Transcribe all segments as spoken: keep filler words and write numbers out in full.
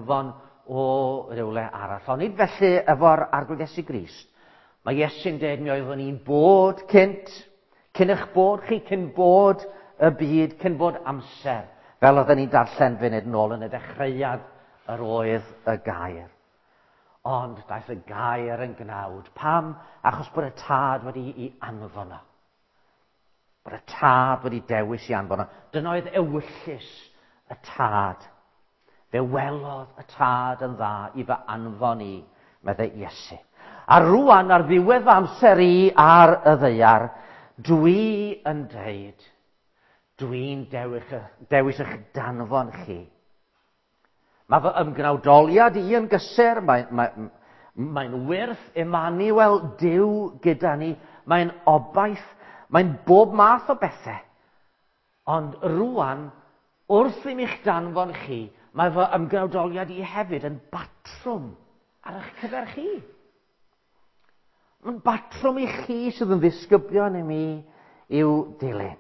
anfon o rywle arall. Ond nid felly efo'r Arglwydd Iesu Grist. Mae Iesu'n dweud mi oeddwn i'n bod cynt, cyn eich bod chi, cyn bod y byd, cyn bod amser. Fel oedden ni'n darllen funud nôl yn y dechreuad yr oedd y gair. Ond daeth y gair yn gnawd. Pam? Achos bod y tad wedi i anfon o. Bod y tad wedi dewis i anfon o. Dyna oedd ewyllys y tad. Fe welodd y tad yn dda i fy anfon i, meddai Iesu. A rwan ar ddiwedd fy amser i ar y ddaear, dwi yn deud, dwi'n dewis, dewis eich danfon chi. Mae fy ymgnawdoliad i yn gysur, mae'n mae, mae wyrth Emmanuel Duw gyda ni, mae'n obaith, mae'n bob math o bethau. Ond rwan, wrth i mi'ch danfon chi, mae fy ymgnawdoliad i hefyd yn batrwm ar eich cyfer chi. Mae'n batrwm i chi sydd yn ddisgyblion i mi i'w dilyn.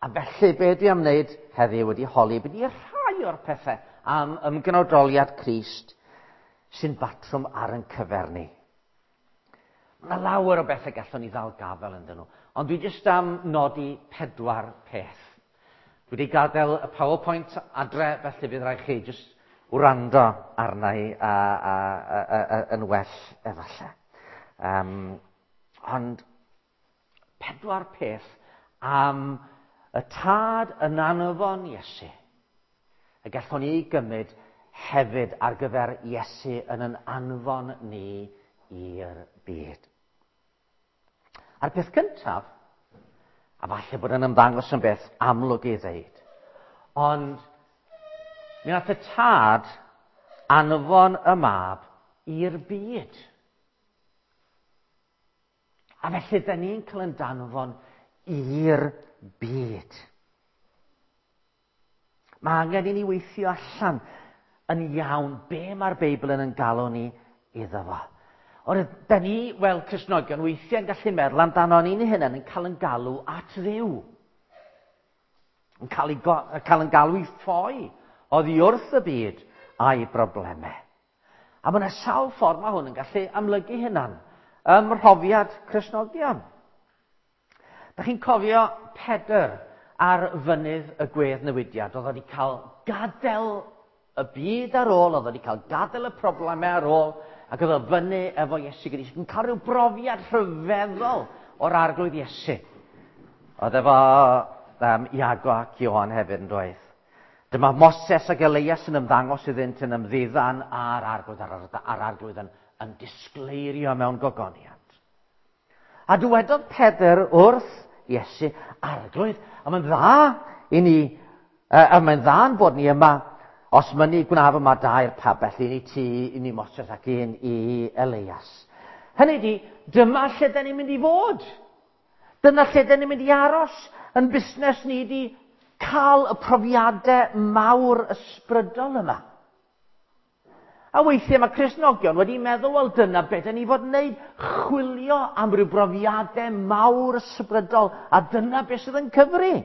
A felly, be dwi am wneud heddiw wedi holi, beth i rhai o'r pethau am ymgnawdoliad Crist sy'n batrwm ar ein cyfer ni. Mae yna lawer o bethau gallwn ni ddal gafel ynddyn nhw, ond dwi jyst am nodi pedwar peth. Dwi wedi gadael y PowerPoint adre, felly fydd rhaid chi jyst wrando arna i a, a, a, a, a, yn well efallai. Um, ond pedwar peth am y tad yn anfon Iesu. Y gallwn ni gymryd hefyd ar gyfer Iesu yn yn anfon ni i'r byd. A'r peth cyntaf, a falle bod yn ymddangos yn beth amlwg i ddeud, ond mi nath y tad anfon y mab i'r byd. A felly, da ni'n cael yn danfon i'r byd. Mae angen i ni weithio allan yn iawn be mae'r Beibl yn yn galw ni iddo fo. Ond da ni, fel Cristnogion, weithiau yn gallu meddwl amdano ni'n hunain yn cael yn galw at Dduw. Yn cael, ei, cael yn galw i ffoi oddi wrth y byd a'i broblemau. A mae yna sawl ffordd mae hwn yn gallu amlygu hynna'n ym mhrofiad Cristnogion. Da chi'n cofio Pedr ar fynydd y gweddnewidiad. Oedd wedi cael gadael y byd ar ôl, oedd wedi cael gadael y problemau ar ôl, ac oedd o fyny efo Iesu Grist yn cael rhyw brofiad rhyfeddol o'r Arglwydd Iesu. Oedd efo um, Iago ac Ioan hefyd yn dweud. Dyma Moses ac Elias yn ymddangos iddynt yn ymddiddan a'r Arglwydd, a'r, a'r Arglwydd yn, yn disgleirio mewn gogoniant. A dywedodd Pedr wrth Iesu, Arglwydd, a mae'n dda i ni, a mae'n dda yn bod ni yma, os mynnu gwnaf yma dair pabell, un i ti, un i Moses ac un i Elias. Hynny di, dyma lle da ni'n mynd i fod. Dyna lle da ni'n mynd i aros. Yn busnes ni di cael y profiadau mawr ysbrydol yma. A weithiau mae Cristnogion wedi meddwl, wel dyna beth da ni fod yn wneud, chwilio am ryw brofiadau mawr ysbrydol, a dyna beth sydd yn cyfri.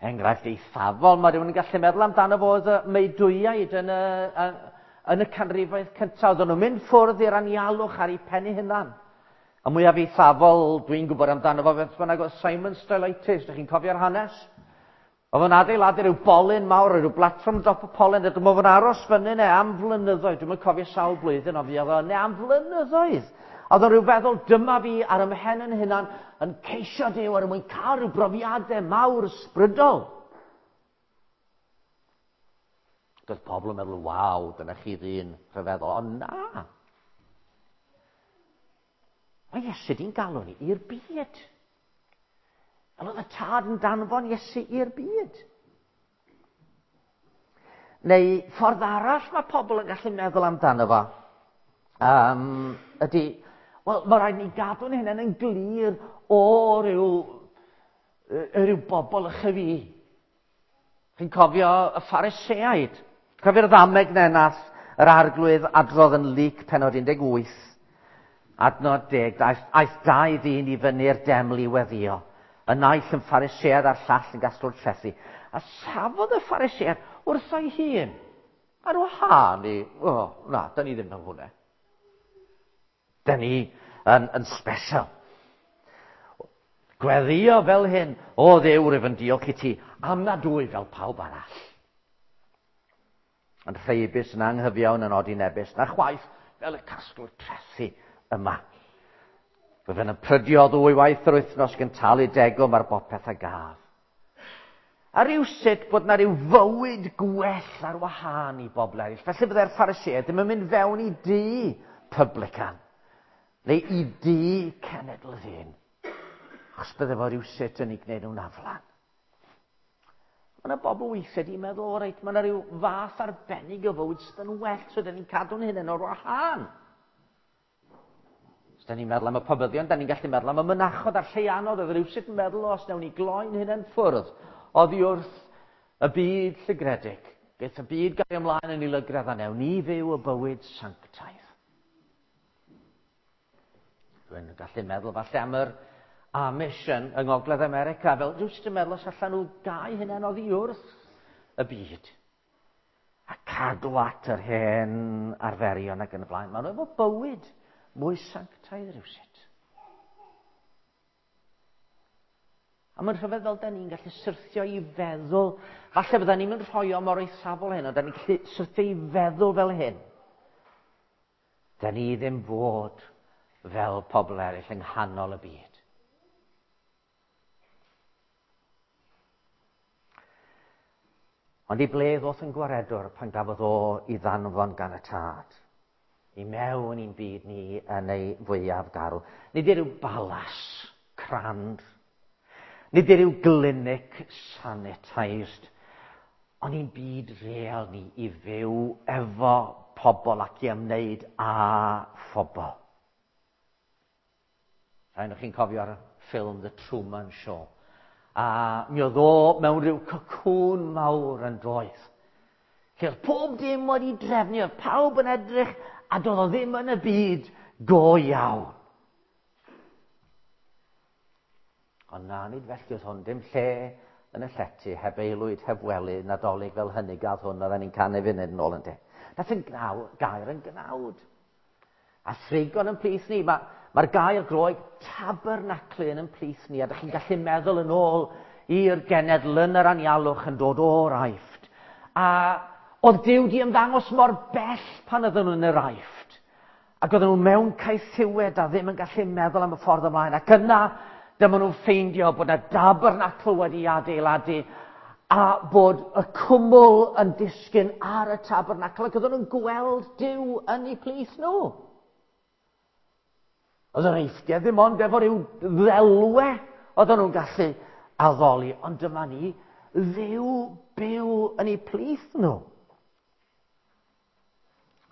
Enghraifft eithafol, mae rhywun yn gallu meddwl amdano fo oedd y meudwyaid yn y, yn y canrifoedd cyntaf. Oedden nhw'n mynd ffwrdd i'r anialwch ar eu pen eu hunan. A mwyaf eithafol, dwi'n gwybod amdano fo, beth bynnag oedd Simon Stylites, ydych chi'n cofio'r hanes? Oedd o'n adeiladu rhyw bolyn mawr, rhyw platfform dop y polyn, a dyma fo'n aros fyny yna am flynyddoedd. Dwi'm yn cofio sawl blwyddyn, ond fi oedd o yna am flynyddoedd. A oedd o'n rhyw feddwl, dyma fi ar ymhen yn hunan yn ceisio Duw er mwyn cael rhyw brofiadau mawr ysbrydol. Doedd pobl yn meddwl, waw, dyna chi ddyn rhyfeddol. Ond na. Mae Iesu di'n galw ni i'r byd. Fel oedd y tad yn danfon Iesu i'r byd. Neu ffordd arall mae pobl yn gallu meddwl amdano fo, um, ydy, wel, mae rhaid ni gadw'n hunain yn glir o ryw, ryw bobl ychydig fi. Chi'n cofio y Phariseaid? Cofio'r ddameg na nath yr Arglwydd adrodd yn Luc pennod un deg wyth, adnod deg, aeth, aeth dau ddyn i fyny'r deml i weddïo. Y naill yn Pharisead a'r llall yn gasglwr trethi. A safodd y Phariseaid wrtho'i hun. Ar wahân i, o, oh, na, da ni ddim yn hwnna. Da ni yn, yn special. Gweddio fel hyn, o Dduw, rwyf yn diolch i ti, am nad wyf fel pawb arall. Yn rheibus, yn anghyfiawn, yn odinebus, na chwaith fel y casglwr trethi yma. Rwyf yn prydio ddwy waith yr wythnos gan talu degwm ar bopeth a gaf. A rhywsut bod na ryw fywyd gwell ar wahân i bobl eraill. Felly byddai'r Phariseaid ddim yn mynd fewn i dŷ publican, neu i dŷ cenedl ddyn. Achos bydde fo rhywsut yn ei gwneud nhw'n aflan. Mae yna bobl weithiau di meddwl, o reit, mae yna rhyw fath arbennig o fywyd sydd yn well, so dyn ni'n cadw'n hunain o'r wahân. Os da ni'n meddwl am y pobyddion, da ni'n gallu meddwl am y mynachod a'r lleianod, oedd rhywsut yn meddwl, os nawn ni gloi'n hunain ffwrdd oddi wrth y byd llygredig. Geith y byd gael ymlaen yn ei lygredd a newn ni fyw y bywyd sanctaidd. Dwi'n gallu meddwl falle am yr Amish yn, yng Ngogledd America, fel rhywsut yn meddwl os allan nhw gau hynna'n oddi wrth y byd. A cadw at yr hen arferion ac yn y blaen. Maen nhw efo bywyd mwy sanctaidd rhywsut. A mae'n rhyfedd fel da ni'n gallu syrthio i feddwl, falle bydda ni'n mynd rhoi o mor eithafol hyn, ond da ni'n gallu syrthio i feddwl fel hyn. Da ni ddim fod fel pobl eraill yng nghanol y byd. Ond i ble ddoth yn gwaredwr pan gafodd o i ddanfon gan y tad? I mewn i'n byd ni yn ei fwyaf garw. Nid i ryw balas crand. Nid i ryw glinic sanitised. Ond i'n byd real ni i fyw efo pobl ac i ymwneud â phobl. Rhaid o'ch chi'n cofio'r ffilm The Truman Show. A mi oedd o mewn rhyw cacwn mawr yn doedd. Lle oedd pob dim wedi drefnu, oedd pawb yn edrych, a doedd o ddim yn y byd go iawn. Ond na, nid felly oedd hwn, dim lle yn y llety, heb aelwyd, heb wely, Nadolig fel hynny gath hwn, oedden ni'n canu funud yn ôl yn de. Nath yn gnaw, gair yn gnawd. A thrigon yn plith ni, mae'r ma gair Groeg tabernaclu yn plith ni, a dych chi'n gallu meddwl yn ôl i'r genedl yn yr anialwch yn dod o'r Aifft. A oedd Duw di ymddangos mor bell pan oedden nhw yn yr Aifft. Ac oedden nhw mewn caethiwed a ddim yn gallu meddwl am y ffordd ymlaen. Ac yna, dyma nhw'n ffeindio bod yna tabernacl wedi adeiladu a bod y cwmwl yn disgyn ar y tabernacl ac oedden nhw'n gweld Duw yn eu plith nhw. Oedd yr Eifftiau ddim ond efo rhyw ddelwe oedden nhw'n gallu addoli, ond dyma ni, Dduw byw yn eu plith nhw.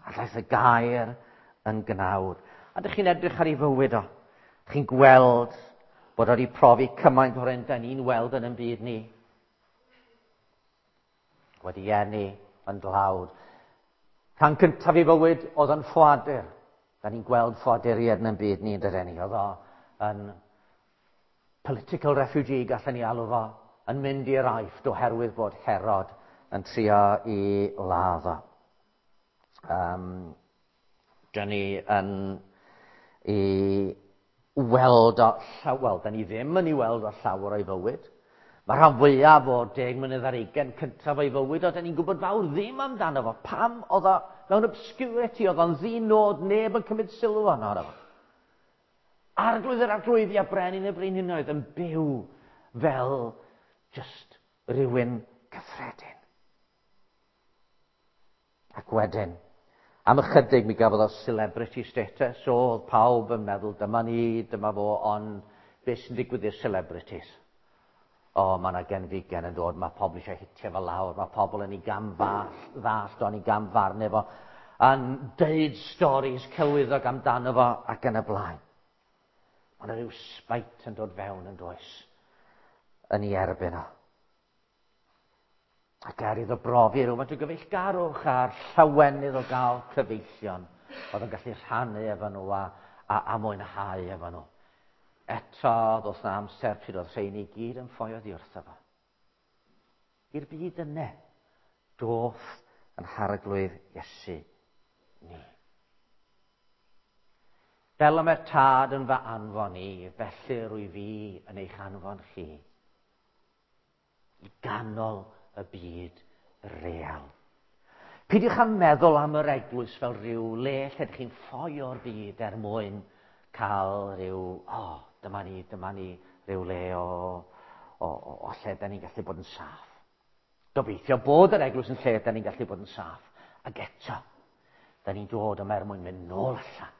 A ddaeth y gair yn gnawd. A dych chi'n edrych ar ei fywyd o. Dych chi'n gweld bod o wedi profi cymaint o'r hyn da ni'n weld yn ein byd ni. Wedi eni yn dlawd. Rhan cyntaf ei fywyd oedd yn ffoadur. Da ni'n gweld ffoaduriaid yn ein byd ni yn dydyn ni. Oedd o yn political refugee, gallen ni alw fo, yn mynd i'r Aifft oherwydd bod Herod yn trio i ladd o. Um, dyn ni yn i weld o, wel, dyn ni ddim yn ei weld o llawer o'i fywyd. Mae rhan fwyaf o deg mlynedd ar ugain cyntaf o'i fywyd, o, dyn ni'n gwybod fawr ddim amdano fo. Pam oedd o mewn obscurity, oedd o'n ddinod, neb yn cymryd sylw arno fo. Arglwydd yr arglwyddi a brenin y brenhinoedd yn byw fel just rhywun cyffredin. Ac wedyn, am ychydig mi gafodd o celebrity status, so oedd pawb yn meddwl dyma ni, dyma fo, ond beth sy'n digwydd i'r celebrities? O, mae yna genfigen yn dod, mae pobl eisiau hitio fo lawr, mae pobl yn ei gamddallt o'n ei gamfarnu fo, yn deud storis celwyddog amdano fo ac yn y blaen. Mae yna rhyw spite yn dod fewn yn does, yn ei erbyn o. Ac er iddo brofi rhywfaint o gyfeillgarwch a'r llawenydd o gael cyfeillion, oedd yn gallu rhannu efo nhw a, a, a mwynhau efo nhw. Eto, ddoth na amser pryd oedd rheini i gyd yn ffoi oddi wrtho fo. I'r byd yna, doth yn harglwydd Iesu ni. Fel y mae'r Tad yn fy anfon i, felly rwy fi yn eich anfon chi. I ganol y byd real. Peidiwch â meddwl am yr eglwys fel rhyw le lle ydych chi'n ffoi o'r byd er mwyn cael rhyw, o, oh, dyma ni, dyma ni, rhyw le o, o, o, o lle da ni'n gallu bod yn saff. Gobeithio bod yr eglwys yn lle da ni'n gallu bod yn saff. Ac eto, da ni'n dod yma er mwyn mynd nôl allan.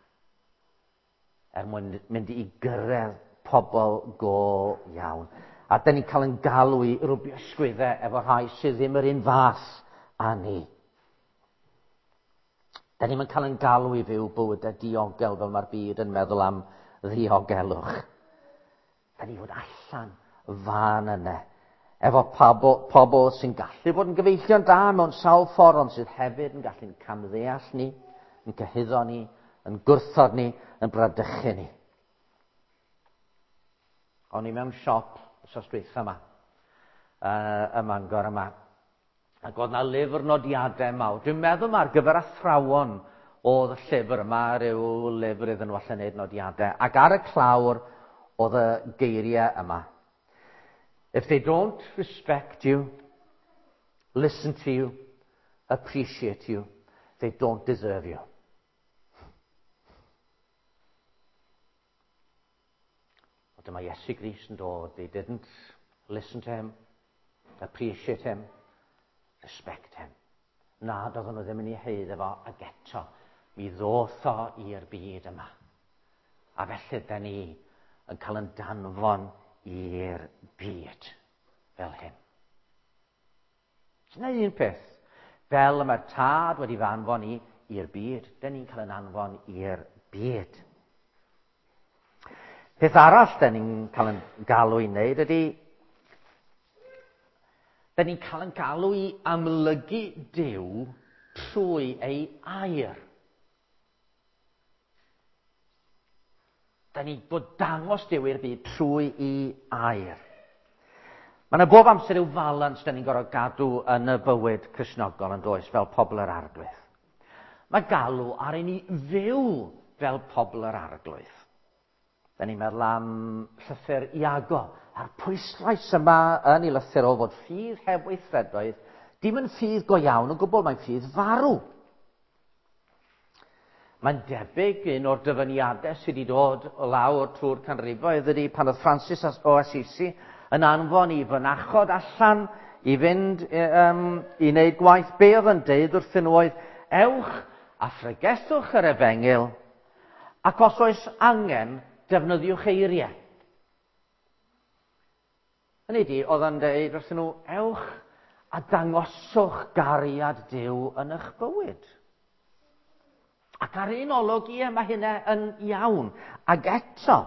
Er mwyn mynd i gyrraedd pobl go iawn. A da ni'n cael yn galw i rwbio ysgwyddau efo rhai sydd ddim yr un fath â ni. Da ni'n cael yn galw i fyw bywydau diogel fel mae'r byd yn meddwl am ddiogelwch. Da ni fod allan fan yna. Efo pobl, pobl sy'n gallu bod yn gyfeillion da mewn sawl ffordd, ond sydd hefyd yn gallu'n camddeall ni, yn cyhuddo ni, yn gwrthod ni, yn bradychu ni. O'n i mewn siop wythnos dwytha yma, uh, ym Mangor yma, ac oedd na lyfr nodiadau mawr. Dwi'n meddwl ma ar gyfer athrawon oedd y llyfr yma, rhyw lyfr iddyn nhw allan wneud nodiadau. Ac ar y clawr oedd y geiriau yma. If they don't respect you, listen to you, appreciate you, they don't deserve you. O dyma Iesu Grist yn dod. They didn't listen to him, appreciate him, respect him. Na, doedden nhw ddim yn ei haeddu fo, ac eto, mi ddoth o i'r byd yma. A felly, da ni yn cael yn danfon i'r byd fel hyn. Dyna un peth. Fel y mae'r Tad wedi fy anfon i i'r byd, da ni'n cael yn anfon i'r byd. Peth arall da ni'n cael yn galw i wneud ydy, da ni'n cael yn galw i amlygu Duw trwy ei air. Da ni bod dangos Duw i'r byd trwy ei air. Mae yna bob amser yw falans da ni'n gorfod gadw yn y bywyd Cristnogol yn does, fel pobl yr Arglwydd. Mae galw ar i ni fyw fel pobl yr Arglwydd. Da ni'n meddwl am llythyr Iago, a'r pwyslais yma yn ei lythyr o fod ffydd heb weithredoedd, dim yn ffydd go iawn o gwbl, mae'n ffydd farw. Mae'n debyg un o'r dyfyniadau sydd wedi dod o lawr trwy'r canrifoedd ydy pan oedd Francis o Assisi yn anfon i fynachod allan i fynd um, i wneud gwaith. Be oedd yn deud wrthyn nhw oedd, ewch a phregethwch yr efengyl, ac os oes angen, defnyddiwch eiriau. Hynny ydi, oedd yn deud wrthyn nhw, ewch a dangoswch gariad Duw yn eich bywyd. Ac ar un olwg, ie, mae hynna yn iawn. Ac eto,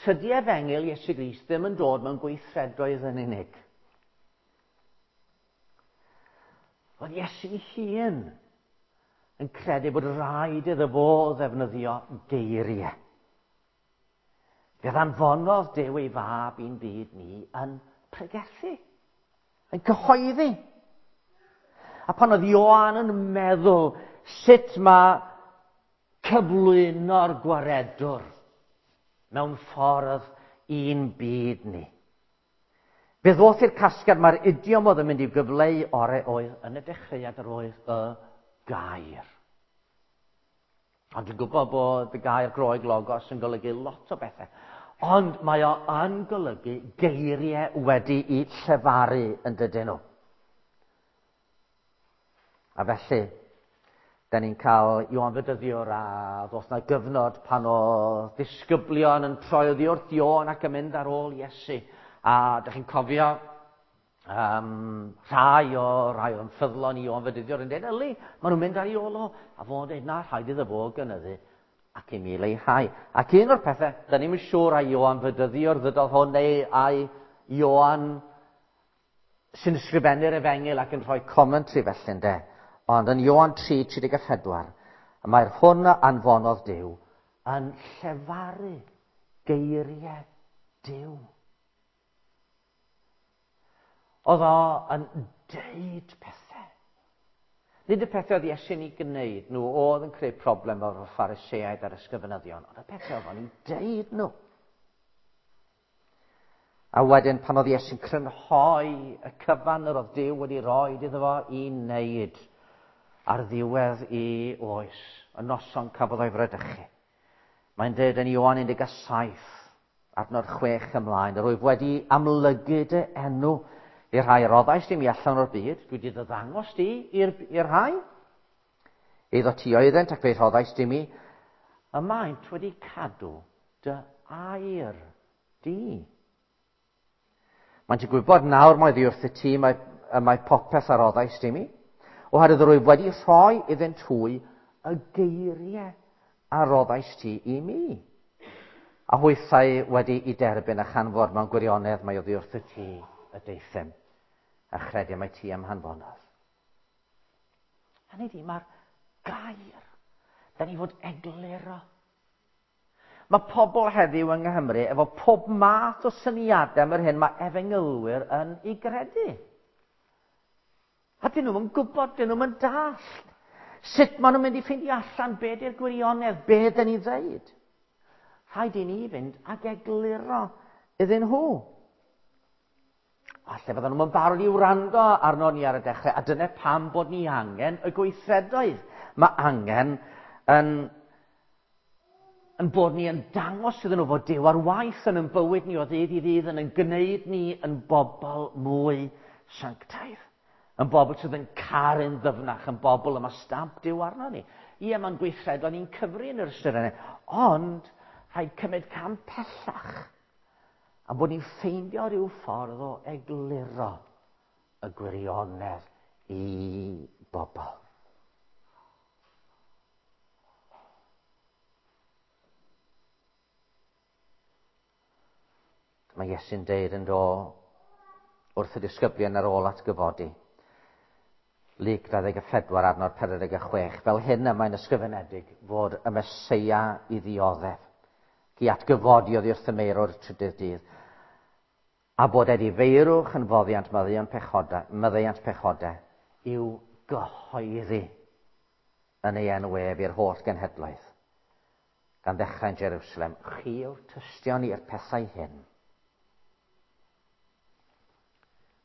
tydi efengyl Iesu Grist ddim yn dod mewn gweithredoedd yn unig. Oedd Iesu hun yn credu bod rhaid iddo fo ddefnyddio geiriau. Fe ddanfonodd Duw ei fab i'n byd ni yn pregethu, yn cyhoeddi. A pan oedd Ioan yn meddwl sut mae cyflwyno'r gwaredwr mewn ffordd i'n byd ni. Fe ddoth i'r casgliad mae'r idiom oedd yn mynd i'w gyfleu orau oedd yn y dechreuad yr oedd y gair. Ond dwi'n gwybod bod y gair Groeg logos yn golygu lot o bethau. Ond mae o yn golygu geiriau wedi'u llefaru yn dydyn nhw. A felly, da ni'n cael Ioan Fedyddiwr a ddoth na gyfnod pan oedd disgyblion yn troi oddi wrth Ioan ac yn mynd ar ôl Iesu. A da chi'n cofio um, rhai o rai o'n ffyddlon i Ioan Fedyddiwr yn dweud, yli, maen nhw'n mynd ar ei ôl o. A fo'n dweud, na, rhaid iddo fo gynyddu ac i mi leihau. Ac un o'r pethau, da ni'n siŵr ai Ioan Fedyddiwr ddydodd hwn neu ai Ioan sy'n ysgrifennu'r efengyl ac yn rhoi commentary felly, ynde. Ond yn Ioan tri, tri deg a phedwar, mae'r hwn a anfonodd Duw yn llefaru geiriau Duw. Oedd o yn deud pethau. Nid y pethau oedd Iesu'n ei gwneud nhw oedd yn creu problem o'r Phariseaid a'r ysgrifenyddion, ond y pethau oedd o'n ei deud nhw. A wedyn pan oedd Iesu'n crynhoi y cyfan yr oedd Duw wedi roi iddo fo i wneud ar ddiwedd i oes, y noson cafodd o'i fradychu. Mae'n dweud yn Ioan un deg saith, adnod chwech ymlaen, yr wyf wedi amlygu dy enw i'r rhai roddaist i mi allan o'r byd, dwi wedi ddangos di i'r rhai. Eiddo ti oeddent ac fe rhoddaist i mi, y maent wedi cadw dy air di. Maent yn gwybod nawr mai ddi wrth y ti mae, mae popeth a roddaist i mi, oherwydd yr wyf wedi rhoi iddynt hwy y geiriau a roddaist ti i mi. A hwythau wedi i derbyn a chanfod mewn gwirionedd mai oddi wrth y ti y deuthum, a chredu mai ti am hanfonodd. Hynny ydi, mae'r gair, da ni fod egluro. Mae pobl heddiw yng Nghymru efo pob math o syniadau am yr hyn mae efengylwyr yn ei gredu. A dyn nhw'n gwybod, dyn nhw'n dallt. Sut maen nhw'n mynd i ffeindio allan be di'r gwirionedd, be dyn ni ddeud. Rhaid i ni fynd ag egluro iddyn nhw. Falle fyddan nhw'n barod i wrando arno ni ar y dechrau, a dyna pam bod ni angen y gweithredoedd. Mae angen yn, yn bod ni yn dangos iddyn nhw fod Duw ar waith yn ein bywyd ni o ddydd i ddydd, yn ein gwneud ni yn bobl mwy sanctaidd. Yn bobl sydd yn caru'n ddyfnach, yn bobl yma stamp Duw arno ni. Ie, mae'n gweithredoedd ni'n cyfri yn yr ystyr yna, ond rhaid cymryd cam pellach. A bod ni'n ffeindio rhyw ffordd o egluro y gwirionedd i bobl. Mae Iesu'n deud yn do wrth y disgyblion ar ôl atgyfodi. Luc dau ddeg pedwar adnod pedwar deg chwech. Fel hyn y mae'n ysgrifenedig fod y Meseia i ddioddef, i atgyfodi oddi wrth y meirwr trydydd dydd, a bod edifeirwch yn foddiant maddeuant pechodau, maddeuant pechodau i'w gyhoeddi yn ei enw ef i'r holl genhedloedd, gan ddechrau yn Jerusalem. Chi yw'r tystion i'r pethau hyn.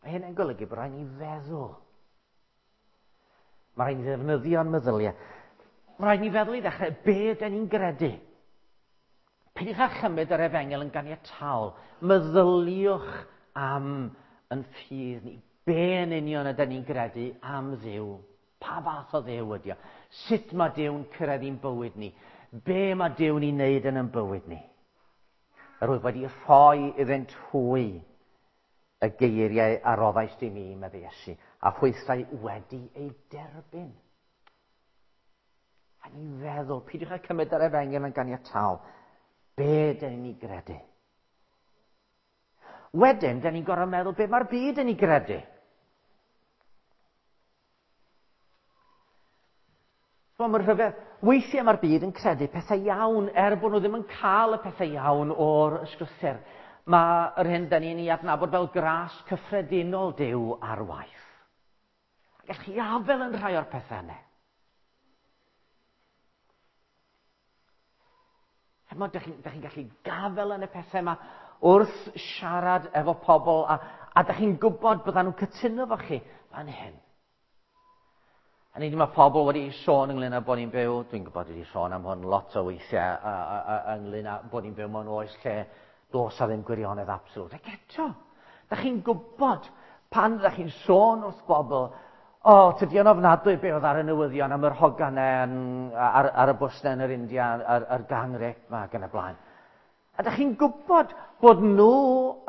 Mae hyn yn golygu bod rhaid ni feddwl. Mae rhaid ni ddefnyddio'n meddyliau. Mae rhaid ni feddwl i ddechrau be ydyn ni'n gredu. Peidiwch â chymryd yr efengyl yn ganiataol. Meddyliwch am yn ffydd ni. Be yn union ydyn ni'n gredu am Dduw? Pa fath o Dduw ydi o? Sut mae Duw'n cyrraedd i'n bywyd ni? Be mae Duw'n ei wneud yn ein bywyd ni? Yr wyf wedi rhoi iddynt hwy y geiriau a roddaist i mi, meddai Iesu, a hwythau wedi ei derbyn. A ni feddwl, peidiwch â cymryd yr efengyl yn ganiataol. Be dyn ni'n gredu? Wedyn, dyn ni'n gorfod meddwl be mae'r byd yn ei gredu. So, mae'r rhyfedd, weithiau mae'r byd yn credu pethau iawn, er bod nhw ddim yn cael y pethau iawn o'r ysgrythur. Mae yr hyn dyn ni'n ei adnabod fel gras cyffredinol Duw ar waith. A gallwch chi afael yn rhai o'r pethau yna. Chimod, dych chi'n chi gallu gafel yn y pethau yma wrth siarad efo pobl, a, a dych chi'n gwybod byddan nhw'n cytuno efo chi fan hyn. A ni mae pobl wedi sôn ynglyn â bod ni'n byw, dwi'n gwybod wedi sôn am hwn lot o weithiau, a, a, a, ynglyn â bod ni'n byw mewn oes lle does a ddim gwirionedd absolute. Ac eto, dych chi'n gwybod pan ydych chi'n sôn wrth bobl, o, oh, tydi o'n ofnadwy be oedd ar y newyddion am yr hoganau ar, ar y bws yn yr India, ar, ar gang rape yma ac yn y blaen. A dych chi'n gwybod bod nhw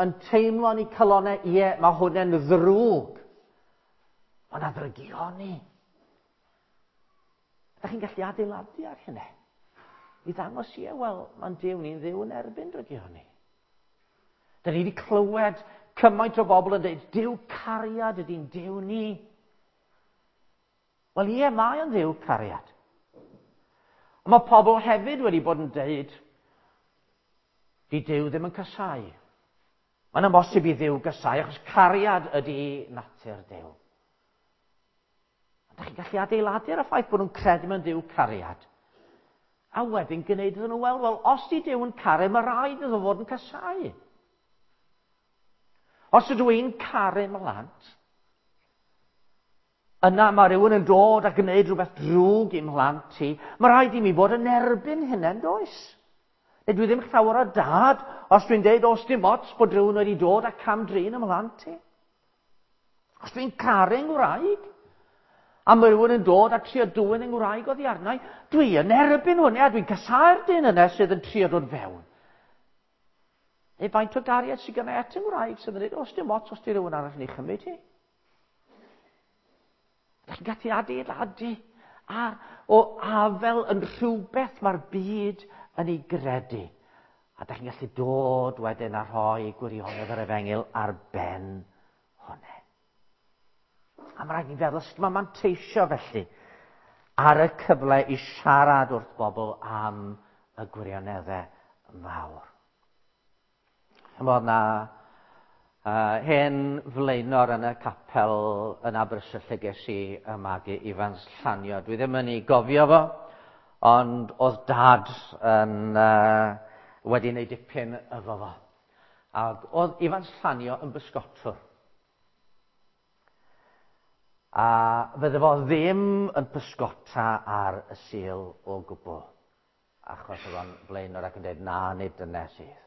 yn teimlo yn eu calonnau, ie, mae hwn yn ddrwg. Mae yna ddrygioni. Dych chi'n gallu adeiladu ar hynny. I ddangos, ie, wel, mae'n Duw ni'n Dduw yn erbyn drygioni. Dyn ni wedi clywed cymaint o bobl yn dweud, Duw cariad ydy'n Duw ni. Wel ie, mae o'n Dduw cariad. Ond mae pobl hefyd wedi bod yn dweud, di Duw ddim yn casáu. Mae'n amhosib i Dduw gysau, achos cariad ydy natur Duw. Ond dach chi'n gallu adeiladu ar y ffaith bod nhw'n credu mewn Duw cariad. A wedyn gwneud iddyn nhw weld, wel, os di Duw yn caru, mae rhaid iddo fod yn casau. Os ydw i'n caru mhlant, yna mae rhywun yn dod a gwneud rhywbeth drwg i'm mhlant i, mae rhaid i mi fod yn erbyn hynny, yn does? Neu dwi ddim llawer o dad os dwi'n deud os dim ots bod rhywun wedi dod a cam-drin ym mhlant i. Os dwi'n caru ngwraig, a mae rhywun yn dod a trio dwyn ngwraig oddi arna i, dwi yn erbyn hwnna, a dwi'n casáu'r dyn yna sydd yn trio dod fewn. Neu faint o gariad sydd gynna i at ngwraig sydd yn dweud, os dim ots os di rhywun arall yn ei chymryd hi. Dach chi'n gallu adeiladu ar o afel yn rhywbeth mae'r byd yn ei gredu. A dach chi'n gallu dod wedyn a rhoi gwirionedd yr efengyl ar ben hwnna. A mae rhaid ni feddwl sut mae manteisio felly ar y cyfle i siarad wrth bobl am y gwirioneddau mawr. Chymod na uh, hen flaenor yn y capel yn Aberystwyth lle ges i y magu Ifans Llanio. Dwi ddim yn ei gofio fo, ond oedd dad yn, uh, wedi wneud dipyn efo fo. Ac oedd Ifans Llanio yn bysgotwr. A fydde fo ddim yn pysgota ar y Sul o gwbl, achos oedd o'n flaenor ac yn dweud, na, nid dyna sydd.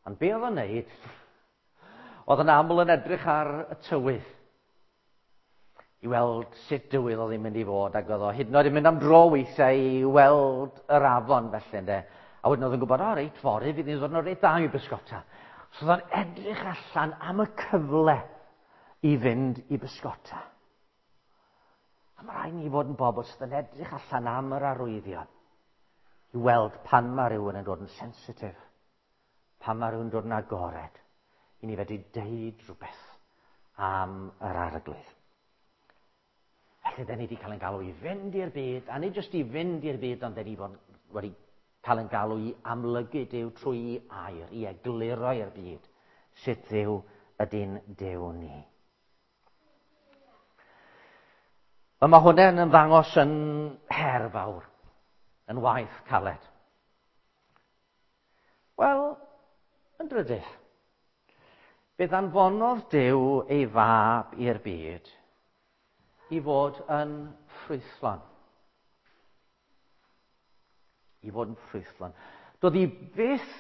Ond be oedd o'n neud? Oedd yn aml yn edrych ar y tywydd i weld sut dywydd oedd hi'n mynd i fod, ac oedd o hyd yn oed yn mynd am dro weithiau i weld yr afon felly, ynde. A wedyn oedd yn gwybod, o reit, fory fydd hi'n ddod yn reit dda i bysgota. So oedd o'n edrych allan am y cyfle i fynd i bysgota. A mae rhaid ni fod yn bobl sydd yn edrych allan am yr arwyddion i weld pan mae rhywun yn dod yn sensitif, pan mae rhywun yn dod yn agored, i ni fedru deud rhywbeth am yr Arglwydd. Felly, da ni wedi cael ein galw i fynd i'r byd, a nid jyst i fynd i'r byd, ond da ni fod wedi cael ein galw i amlygu Duw trwy air, i egluro i'r byd sut Dduw ydy'n Duw ni. Wel, mae hwnna'n ymddangos yn her fawr, yn waith caled. Wel, yn drydydd, fe ddanfonodd Duw ei fab i'r byd i fod yn ffrwythlon. I fod yn ffrwythlon. Doedd hi byth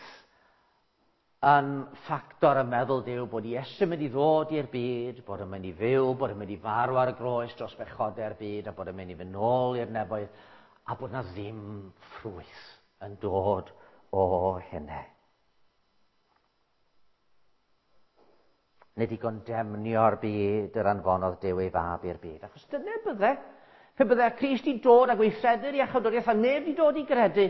yn ffactor y meddwl Duw bod Iesu'n mynd i ddod i'r byd, bod yn mynd i fyw, bod yn mynd i farw ar y groes dros bechodau'r byd, a bod yn mynd i fynd nôl i'r nefoedd, a bod na ddim ffrwyth yn dod o hynny. Nid i gondemnio'r byd yr anfonodd Duw ei fab i'r byd. Achos dyna bydde. Pe bydde Crist i dod a gweithredu'r iachawdwriaeth a neb i dod i gredu,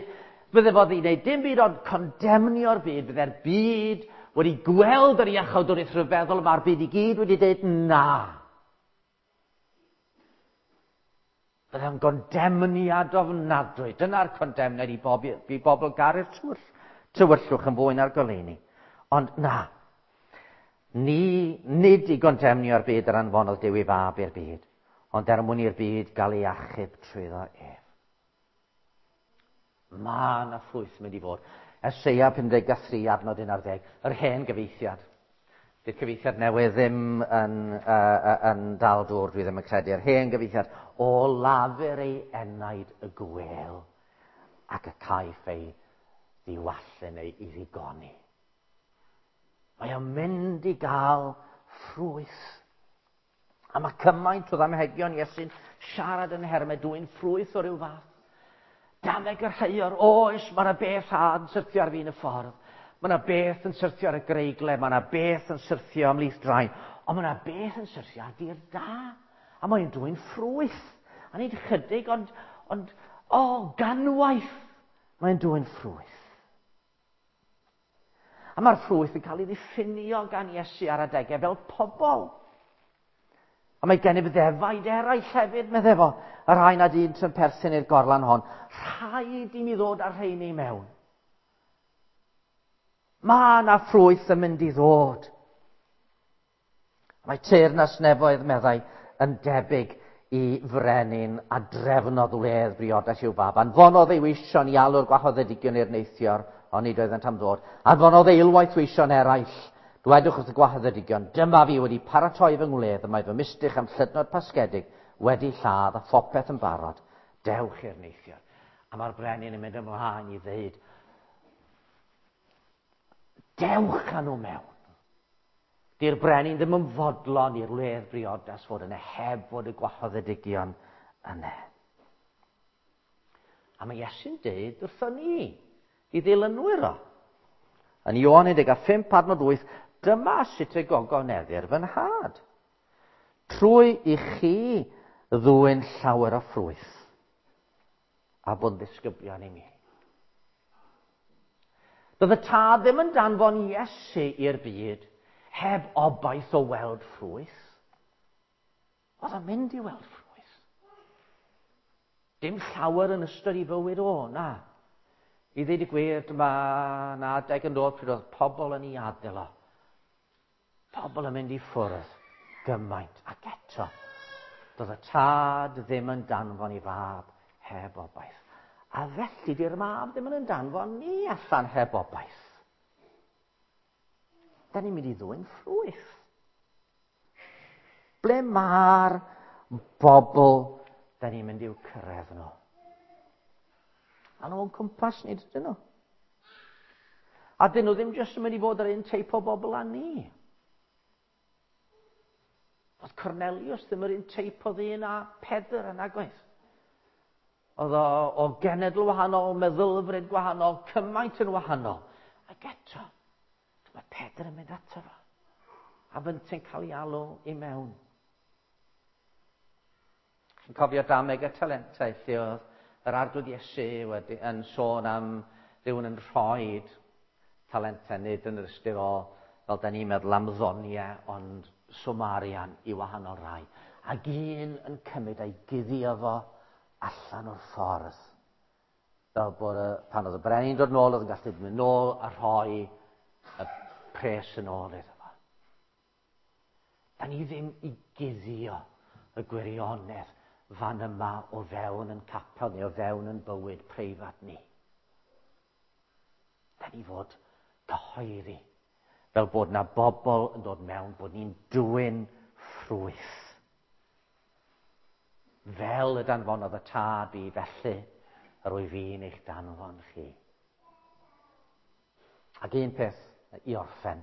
bydde fod i wneud dim byd ond condemnio'r byd. Bydde'r byd wedi gweld yr iachawdwriaeth rhyfeddol, mae'r byd i gyd wedi dweud na. Bydde'n gondemniad ofnadwy. Dyna'r condemniad i, bob, i bobl garu'r tywyll, tywyllwch yn fwy na'r goleuni. Ond na. Ni, nid i gondemnio'r byd yr anfonodd Duw ei fab i'r byd, ond er mwyn i'r byd gael ei achub trwyddo ef. Mae yna ffrwyth mynd i fod. Eseia pum deg a thri, adnod un ar ddeg, yr hen gyfeithiad. Dy'r cyfeithiad newydd ddim yn, uh, yn dal dŵr, dwi ddim yn credu. Yr hen gyfeithiad, o lafur ei enaid y gwel ac y caiff ei ddiwallu neu ei ddigoni. Mae o'n mynd i gael ffrwyth. A mae cymaint o ddamhegion Iesu'n siarad yn nhermau dwyn ffrwyth o ryw fath. Dameg yr heior, oes, mae yna beth yn syrthio ar fin y ffordd. Mae yna beth yn syrthio ar y greigle, mae yna beth yn syrthio ymhlith drain. Ond mae yna beth yn syrthio ar dir da. A mae'n dwyn ffrwyth. A nid chydig, ond, ond o, ganwaith, mae'n dwyn ffrwyth. A mae'r ffrwyth yn cael ei ddiffinio gan Iesu ar adegau fel pobl. A mae gennyf ddefaid eraill hefyd, meddai fo, y rhai nad un sy'n perthyn i'r gorlan hon. Rhaid i mi ddod â'r rheini mewn. Mae yna ffrwyth yn mynd i ddod. Mae teyrnas nefoedd, meddai, yn debyg i frenin a drefnodd wledd briodas i'w fab. Anfonodd ei weision i alw'r gwahoddedigion i'r neithior, ond nid oeddent am ddod. Anfonodd eilwaith weision eraill. Dwedwch wrth y gwahoddedigion, dyma fi wedi paratoi fy ngwledd, y mae fy mistych am llydnod pasgedig wedi lladd a phopeth yn barod. Dewch i'r neithior. A mae'r brenin yn mynd ymlaen i ddeud, dewch â nhw mewn. Di'r brenin ddim yn fodlon i'r wledd briodas fod yna heb fod y gwahoddedigion yna. A mae Iesu'n deud wrthon ni, i ddilynwyr o. Yn Ioan un deg pump adnod wyth, dyma sut y gogoneddir fy nhad. Trwy i chi ddwyn llawer o ffrwyth a bod yn ddisgyblion i mi. Doedd y tad ddim yn danfon Iesu i'r byd heb obaith o weld ffrwyth. Oedd o'n mynd i weld ffrwyth. Dim llawer yn ystod i fywyd o, na. I ddweud y gwir, dyma na adeg yn dod pryd oedd pobl yn ei adael o. Pobl yn mynd i ffwrdd gymaint. Ac eto, doedd y tad ddim yn danfon i fab heb obaith. A felly di'r mab ddim yn danfon ni allan heb obaith. Da ni'n mynd i ddwyn ffrwyth. Ble mae'r bobl da ni'n mynd i'w cyrraedd nhw? A nhw'n cwmpas ni, dydyn nhw? A dyn nhw ddim jyst yn mynd i fod yr un teip o bobl â ni. Oedd Cornelius ddim yr un teip o ddyn â Pedr yn agwaith. Oedd o, o genedl wahanol, meddylfryd gwahanol, cymaint yn wahanol. Ac eto, mae Pedr yn mynd ato fo. A fynte'n cael ei alw i mewn. Chi'n cofio dameg y talentau lle oedd yr Arglwydd Iesu wedi, yn sôn am rhywun yn rhoi talentau, nid yn yr ystyr o, fel da ni'n meddwl am ddoniau, ond swm arian i wahanol rai. Ac un yn cymryd a'i guddio fo allan o'r ffordd. Fel bod y, pan oedd y brenin dod nôl, oedd yn gallu mynd nôl a rhoi y pres yn ôl iddo fo. Da ni ddim i guddio y gwirionedd fan yma o fewn yn capel neu o fewn yn bywyd preifat ni. Da ni fod cyhoeddi, fel bod na bobl yn dod mewn, bod ni'n dwyn ffrwyth. Fel y danfonodd y tad fi, felly yr wyf fi'n eich danfon chi. Ac un peth i orffen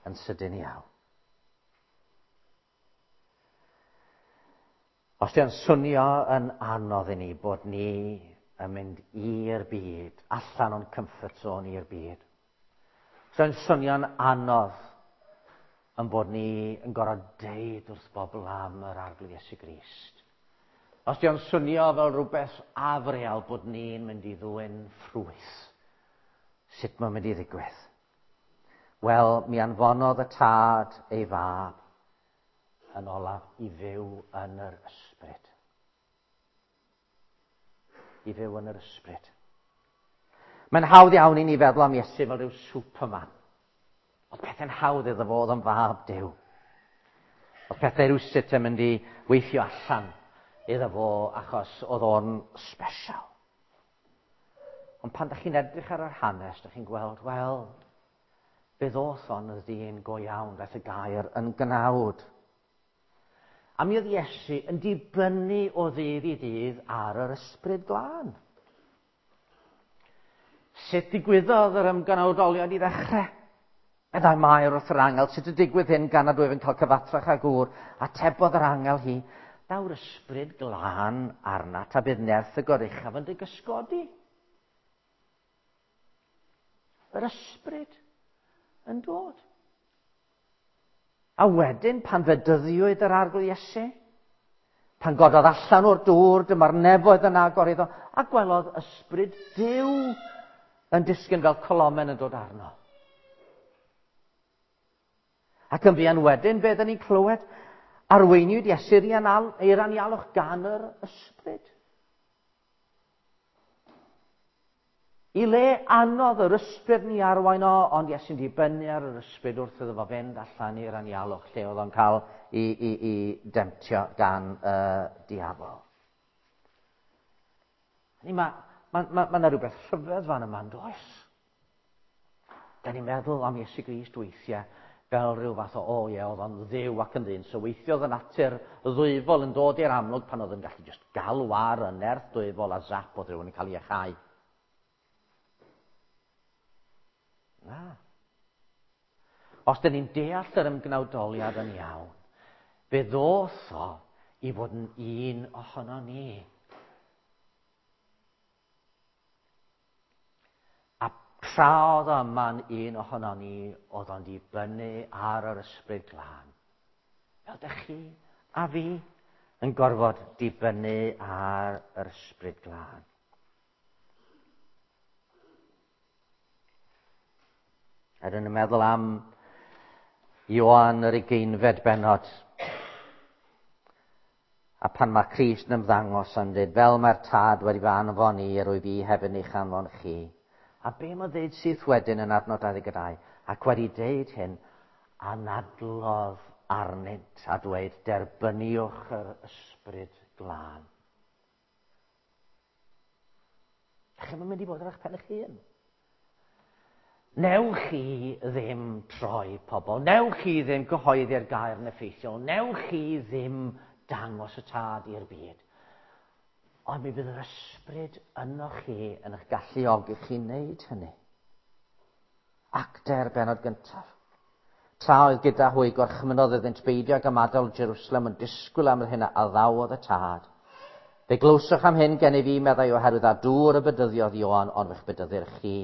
yn sydyn iawn. Os di'n swnio yn anodd i ni bod ni yn mynd i'r byd, allan o'n comfort zone i'r byd. Os di'n swnio'n anodd yn bod ni yn gorfod deud wrth bobl am yr Arglwydd Iesu Grist. Os di'n swnio fel rhywbeth afreal bod ni'n mynd i ddwyn ffrwyth, sut mae'n mynd i ddigwydd? Wel, mi anfonodd y tad ei fab yn olaf i fyw yn yr ysbryd. I fyw yn yr ysbryd. Mae'n hawdd iawn i ni feddwl am Iesu fel rhyw superman. Oedd pethau'n hawdd iddo fo, oedd yn fab Duw. Oedd pethau rhywsut yn mynd i weithio allan iddo fo achos oedd o'n special. Ond pan dach chi'n edrych ar yr hanes, dach chi'n gweld, wel, fe ddoth o'n y ddyn go iawn, daeth y gair yn gnawd. A mi oedd Iesu yn dibynnu o ddydd i ddydd ar yr ysbryd glân. Sut digwyddodd yr ymgnawdoliad i ddechrau? Meddai Mair wrth yr angel, sut y digwydd hyn gan nad wyf yn cael cyfathrach â gŵr? Atebodd yr angel hi, daw'r ysbryd glân arnat a bydd nerth y goruchaf yn dy gysgodi. Yr ysbryd yn dod. A wedyn, pan fedyddiwyd yr Arglwydd Iesu, pan gododd allan o'r dŵr, dyma'r nefoedd yn agor iddo, a gwelodd ysbryd Duw yn disgyn fel colomen yn dod arno. Ac yn fuan wedyn, be dyn ni'n clywed? Arweiniwyd Iesu i'r anialwch gan yr ysbryd. I le anodd yr ysbryd ni arwain o, ond Iesu'n dibynnu ar yr ysbryd wrth iddo fo fynd allan i'r anialwch lle oedd o'n cael i, i, i demtio gan y uh, diafol. Mae ma, ma, ma, ma 'na rhywbeth rhyfedd fan yma, yn does? Da ni'n meddwl am Iesu Grist weithiau fel rhyw fath o, o ie, oedd o'n dduw ac yn ddyn. So weithiodd y natur ddwyfol yn dod i'r amlwg pan oedd yn gallu just galw ar y nerth dwyfol a zap oedd rhywun yn cael ei iachau. Na. Os dyn ni'n deall yr ymgnawdoliad yn iawn, fe ddoth o i fod yn un ohono ni. A tra oedd o yma'n un ohono ni, oedd o'n dibynnu ar yr Ysbryd Glân. Fel dych chi a fi yn gorfod dibynnu ar yr Ysbryd Glân. Er yn meddwl am Ioan yr ugeinfed bennod. A pan mae Crist yn ymddangos yn dweud, fel mae'r Tad wedi fy anfon i, yr wyf fi hefyd eich anfon chi. A be mae'n dweud syth wedyn yn adnod dau ddeg dau? Ac wedi deud hyn, anadlodd arnynt a dweud, derbyniwch yr Ysbryd Glân. Dach chi'm yn mynd i fod ar eich pen eich hun. Newch chi ddim troi pobl, newch chi ddim gyhoeddi'r gair yn effeithiol, newch chi ddim dangos y Tad i'r byd. Ond mi fydd yr ysbryd yno chi yn eich galluogi chi wneud hynny. Actau'r bennod gyntaf. Tra oedd gyda hwy gorchmynnodd iddynt beidio ag ymadael Jerusalem yn disgwyl am yr hyn a addawodd y Tad. Fe glywsoch am hyn gennyf fi, meddai, oherwydd â dŵr y bedyddiodd Ioan, ond fe'ch bedyddir chi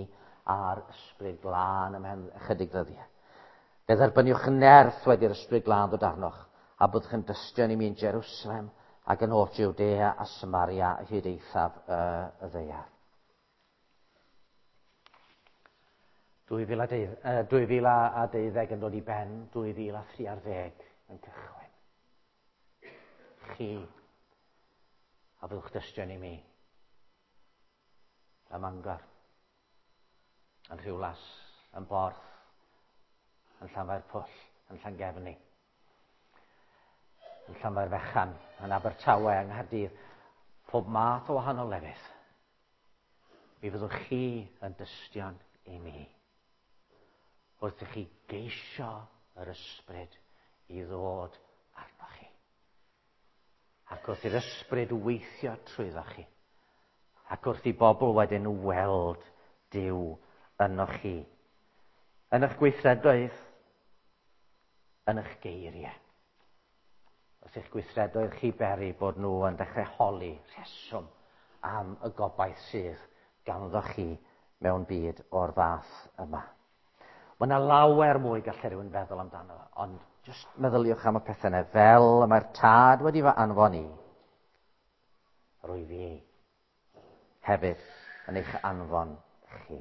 a'r Ysbryd Glân ymhen ychydig ddyddiau. Fe dderbyniwch nerth wedi'r Ysbryd Glân ddod arnoch, a byddwch yn dystion i mi yn Jerusalem ac yn holl Jwdea a Samaria hyd eithaf y, y ddaear. dwy fil a deuddeg yn dod i ben, dwy fil a thri ar ddeg yn cychwyn. Chi, a byddwch dystion i mi, ym Mangor, yn Rhiwlas, yn Borth, yn Llanfairpwll, yn Llangefni, yn Llanfairfechan, yn Abertawe, yng Nghaerdydd, pob math o wahanol lefydd. Mi fyddwch chi yn dystion i mi wrth i chi geisio yr ysbryd i ddod arnoch chi. Ac wrth i'r ysbryd weithio trwyddo chi. Ac wrth i bobl wedyn weld Duw ynoch chi. Yn eich gweithredoedd, yn eich geiriau. Wrth i'ch gweithredoedd chi beri bod nhw yn dechrau holi rheswm am y gobaith sydd ganddo chi mewn byd o'r fath yma. Mae yna lawer mwy gallai rhywun feddwl amdano, ond jyst meddyliwch am y pethau yna, fel y mae'r Tad wedi fy anfon i, rwy fi hefyd yn eich anfon chi.